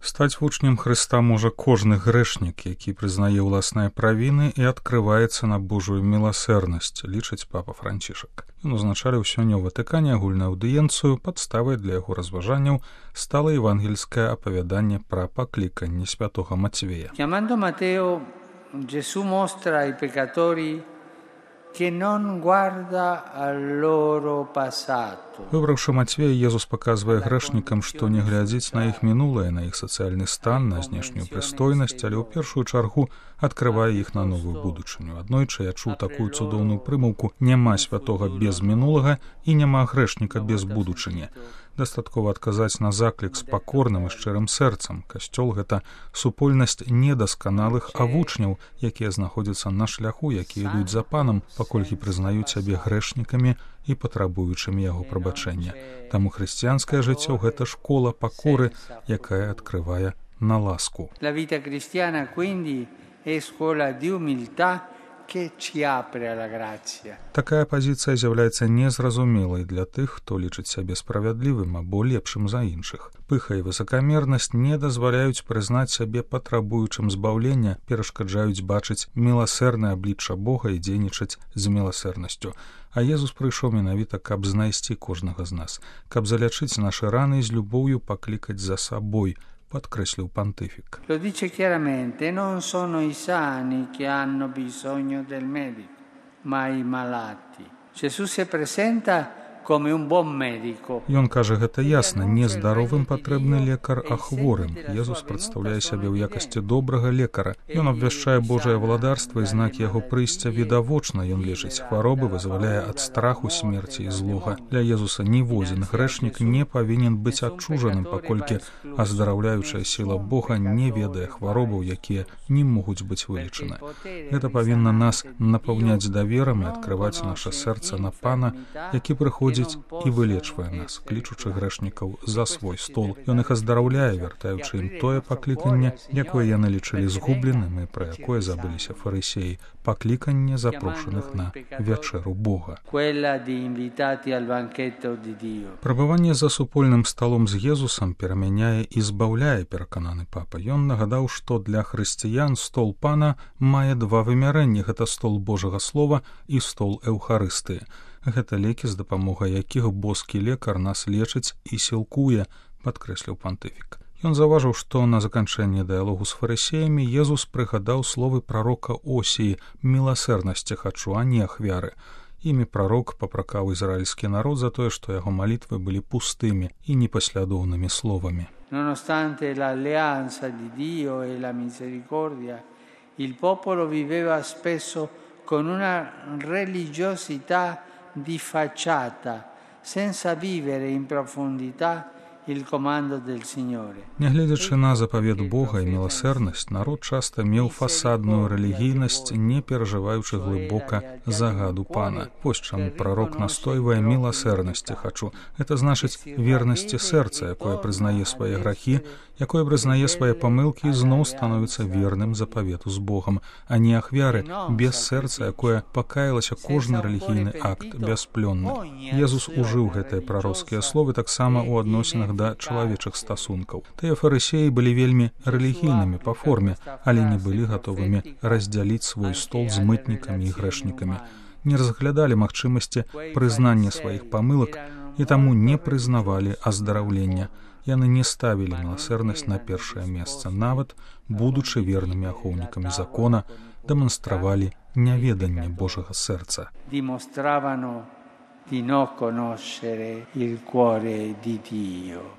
Стаць вучнем Хрыста можа кожны грэшнік, які прызнае ўласныя правіны і адкрываецца на Божую міласэрнасць, лічыць папа Францішак. Ён узначаліў сёння ў Ватыкане агульную аўдыенцыю, падставай для яго разважанняў стала евангельскае апавяданне пра пакліканне святога Мацвея. Chiamando Matteo, Gesù mostra ai peccatori che non guarda al loro passato. Выбраўшы Мацвея, Езус паказвае грэшнікам, што не глядзіць на іх мінулае, на іх сацыяльны стан, на знешнюю прыстойнасць, але ў першую чаргу адкрывае іх на новую будучыню. Аднойчы я чуў такую цудоўную прымаўку: няма святога без мінулага і няма грэшніка без будучыні. Дастаткова адказаць на заклік з пакорным і шчырым сэрцам. Касцёл — гэта супольнасць недасканалых, а вучняў, якія знаходзяцца на шляху, якія ідуць за панам, паколькі прызнаюць сябе грэшнікамі і патрабуючымі яго прабачэння. Таму хрысціянскае жыццё — гэта школа пакоры, якая адкрывае на ласку. La vita cristiana quindi è scuola di umiltà che ci apre alla grazia. Такая пазіцыя з'яўляецца незразумелай для тых, хто лічыць сябе справядлівым або лепшым за іншых. Пыха і высакамернасць не дазваляюць прызнаць сябе патрабуючым збаўлення, перашкаджаюць бачыць міласэрнае аблічча Бога і дзейнічаць з міласэрнасцю. А Езус прыйшоў менавіта, каб знайсці кожнага з нас, каб залячыць нашы раны і з любоўю паклікаць за сабой, подкреслил понтифик. Lo dice chiaramente: non sono i sani che hanno bisogno del medico, ma i malati. Gesù si presenta come un buon medico. Ён кажа гэта ясна: не здаровым патрэбны лекар, а хворым. Езус прадстаўляе сябе ў якасці добрага лекара. Ён абвяшчае Божае валадарства і знакі яго прыйсця відавочна. Ён лечыць хваробы, вызваляе ад страху, смерці і злога. Для Езуса ніводзін грэшнік не павінен быць адчужаным, паколькі аздараўляючая сіла Бога не ведае хваробаў, якія не могуць быць вылечаны. Гэта павінна нас напаўняць даверам і адкрываць наша сэрца на Пана, які прыходзіць і вылечвае нас, клічучы грэшнікаў за свой стол. Ён іх аздараўляе, вяртаючы ім тое пакліканне, якое яны лічылі згубленым і пра якое забыліся фарысеі, пакліканне запрошаных на вячэру Бога. Прабыванне за супольным сталом з Езусам перамяняе і збаўляе, перакананы папа. Ён нагадаў, што для хрысціян стол Пана мае два вымярэнні: гэта стол Божага слова і стол Эўхарыстыі. Гэта лекі, з дапамогай якіх боскі лекар нас лечыць і сілкуе, падкрэсліў пантыфік. Ён заўважыў, што на заканчэнні дыялогу з фарысеямі Езус прыгадаў словы прарока Осіі: «Міласэрнасці хачу, а не ахвяры». Імі прарок папракаў ізраільскі народ за тое, што яго малітвы былі пустымі і непаслядоўнымі словамі. Nonostante l'alleanza di Dio e la misericordia, il popolo viveva spesso con una religiosità di facciata, senza vivere in profondità il comando del Signore. Нягледзячы на запавет Бога і міласэрнасць, народ часта меў фасадную рэлігійнасць, не перажываючы глыбока загаду Пана. Вось чаму прарок настойвае: «Міласэрнасці хачу». Гэта значыць вернасці сэрца, якое прызнае свае грахі, якое прызнае свае памылкі і зноў становіцца верным запавету з Богам, а не ахвяры, без сэрца, якое пакаялася кожны рэлігійны акт бясплённы. Езус ужыў гэтыя прароцкія словы таксама ў адносінах да чалавечых стасункаў. Тыя фарысеі былі вельмі рэлігійнымі па форме, але не былі гатовымі раздзяліць свой стол з мытнікамі і грэшнікамі. Не разглядалі магчымасці прызнання сваіх памылак і таму не прызнавалі аздараўлення. Яны не ставілі міласэрнасць на першае месца, нават будучы вернымі ахоўнікамі закона, дэманстравалі няведанне Божага сэрца.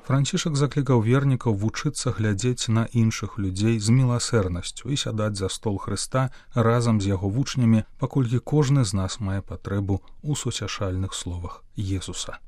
Францішак заклікаў вернікаў вучыцца глядзець на іншых людзей з міласэрнасцю і сядаць за стол Хрыста разам з яго вучнямі, паколькі кожны з нас мае патрэбу ў суцяшальных словах Езуса.